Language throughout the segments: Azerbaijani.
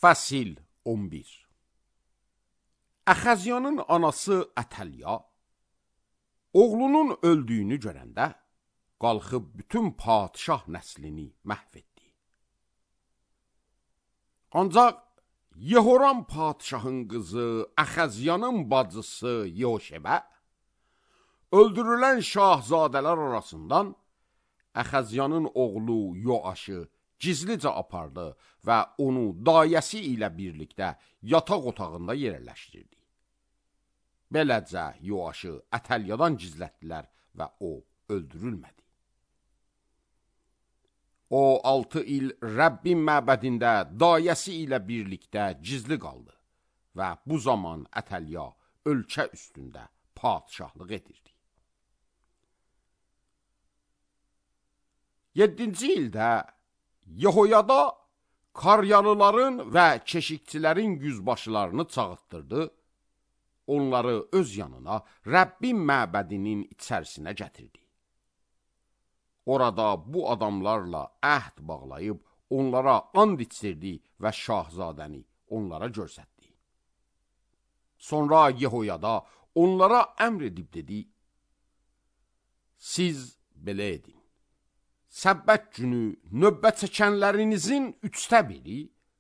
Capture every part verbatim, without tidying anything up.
Fəsil on bir. Əxəzyanın anası Ətəlya, oğlunun öldüyünü görəndə, qalxıb bütün padişah nəslini məhv etdi. Ancaq Yehoram padişahın qızı Əxəzyanın bacısı Yehoşebə, öldürülən şahzadələr arasından Əxəzyanın oğlu Yoaşı gizlicə apardı və onu dayəsi ilə birlikdə yataq otağında yerləşdirdi. Beləcə Yoaşı Ətəlyadan gizlətdilər və o öldürülmədi. O altı il Rəbbin məbədində dayəsi ilə birlikdə gizli qaldı və bu zaman Ətəlya ölkə üstündə padişahlıq edirdi. Yeddinci ildə Yehoyada Karyalıların və keşikçilərin yüzbaşılarını çağırtdırdı, onları öz yanına Rəbbin məbədinin içərisinə gətirdi. Orada bu adamlarla əhd bağlayıb, onlara and içdirdi və şahzadəni onlara göstərdi. Sonra Yehoyada onlara əmr edib dedi, siz belə edin. Səbbət günü növbə çəkənlərinizin üçdə biri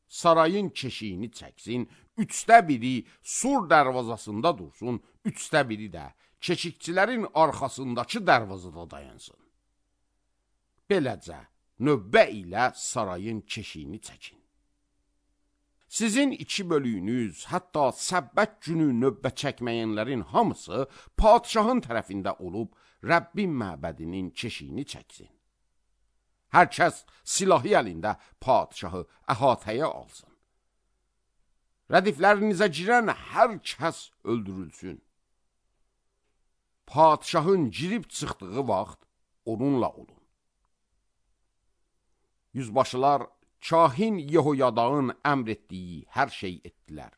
sarayın keşiyini çəksin, üçdə biri sur dərvazasında dursun, üçdə biri də keşikçilərin arxasındakı dərvazada dayansın. Beləcə, növbə ilə sarayın keşiyini çəkin. Sizin iki bölüyünüz, hətta səbbət günü növbə çəkməyənlərin hamısı padişahın tərəfində olub, Rəbbin məbədinin keşiyini çəksin. Hər kəs silahı əlində padişahı əhatəyə alsın. Rədiflərinizə girən hər kəs öldürülsün. Padişahın girib çıxdığı vaxt onunla olun. Yüzbaşılar kahin Yehoyadağın əmr etdiyi hər şey etdilər.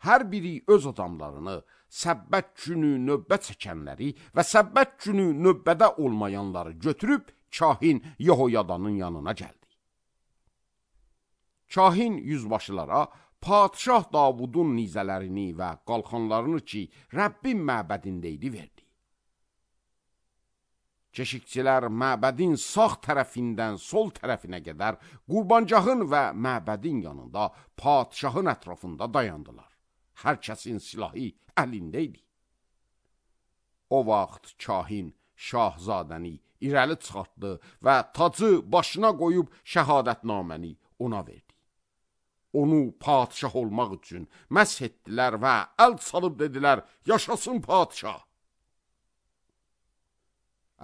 Hər biri öz adamlarını, səbbət günü növbə çəkənləri və səbbət günü növbədə olmayanları götürüb kahin Yehoyadanın yanına gəldi. Kahin yüzbaşılara padişah Davudun nizələrini və qalxanlarını ki, Rəbbin məbədində idi verdi. Keşikçilər məbədin sağ tərəfindən sol tərəfinə qədər qurbancağın və məbədin yanında padişahın ətrafında dayandılar. Hər kəsin silahı əlində idi. O vaxt kahin şahzadəni irəli çıxartdı və tacı başına qoyub şəhadətnaməni ona verdi. Onu padişah olmaq üçün məsh etdilər və əl salıb dedilər, yaşasın padişah.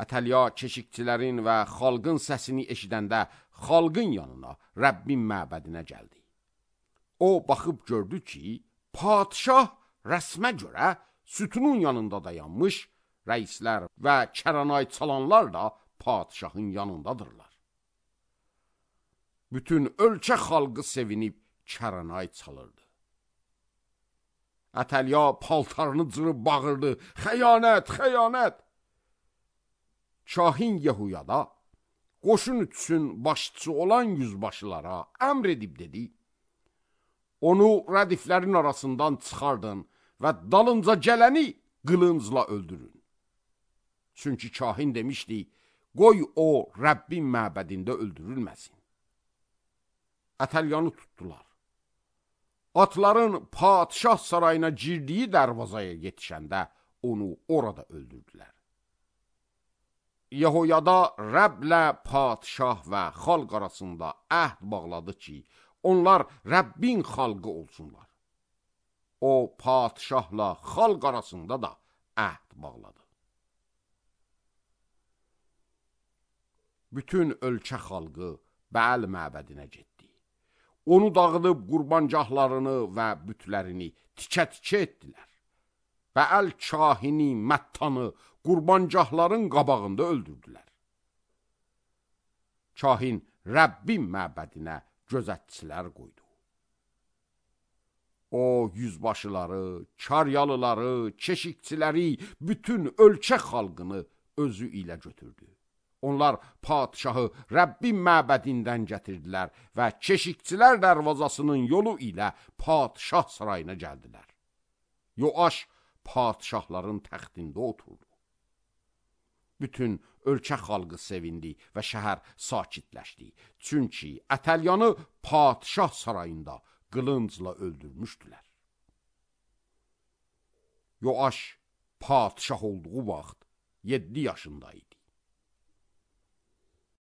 Ətəlya keşikçilərin və xalqın səsini eşidəndə xalqın yanına, Rəbbin məbədinə gəldi. O baxıb gördü ki, padişah rəsmə görə sütunun yanında dayanmış, rəislər və kəranay çalanlar da padişahın yanındadırlar. Bütün ölkə xalqı sevinib kəranay çalırdı. Ətəlya paltarını cırıb bağırdı, xəyanət, xəyanət! Kahin Yehoyada qoşun üçün başçı olan yüzbaşılara əmr edib dedi, onu rədiflərin arasından çıxardın və dalınca gələni qılıncla öldürün. Çünki kahin demişdi, qoy o Rəbbin məbədində öldürülməsin. Ətəlyanı tutdular. Atların padişah sarayına girdiyi dərvazaya yetişəndə onu orada öldürdülər. Yehoyada Rəbblə padişah və xalq arasında əhd bağladı ki, onlar Rəbbin xalqı olsunlar. O padişahla xalq arasında da əhd bağladı. Bütün ölkə xalqı Bəal məbədinə getdi. Onu dağıdıb qurbancaqlarını və bütlərini tikə-tikə etdilər. Bəal kahini Məttanı qurbancaqların qabağında öldürdülər. Kahin Rəbbin məbədinə gözətçilər qoydu. O yüzbaşıları, karyalıları, keşikçiləri, bütün ölkə xalqını özü ilə götürdü. Onlar padşahı Rəbbin məbədindən gətirdilər və keşikçilər dərvazasının yolu ilə padşah sarayına gəldilər. Yoaş padşahların təxtində oturdu. Bütün ölkə xalqı sevindi və şəhər sakitləşdi. Çünki Ətəlyanı padşah sarayında qılıncla öldürmüşdülər. Yoaş padşah olduğu vaxt yeddi yaşında idi.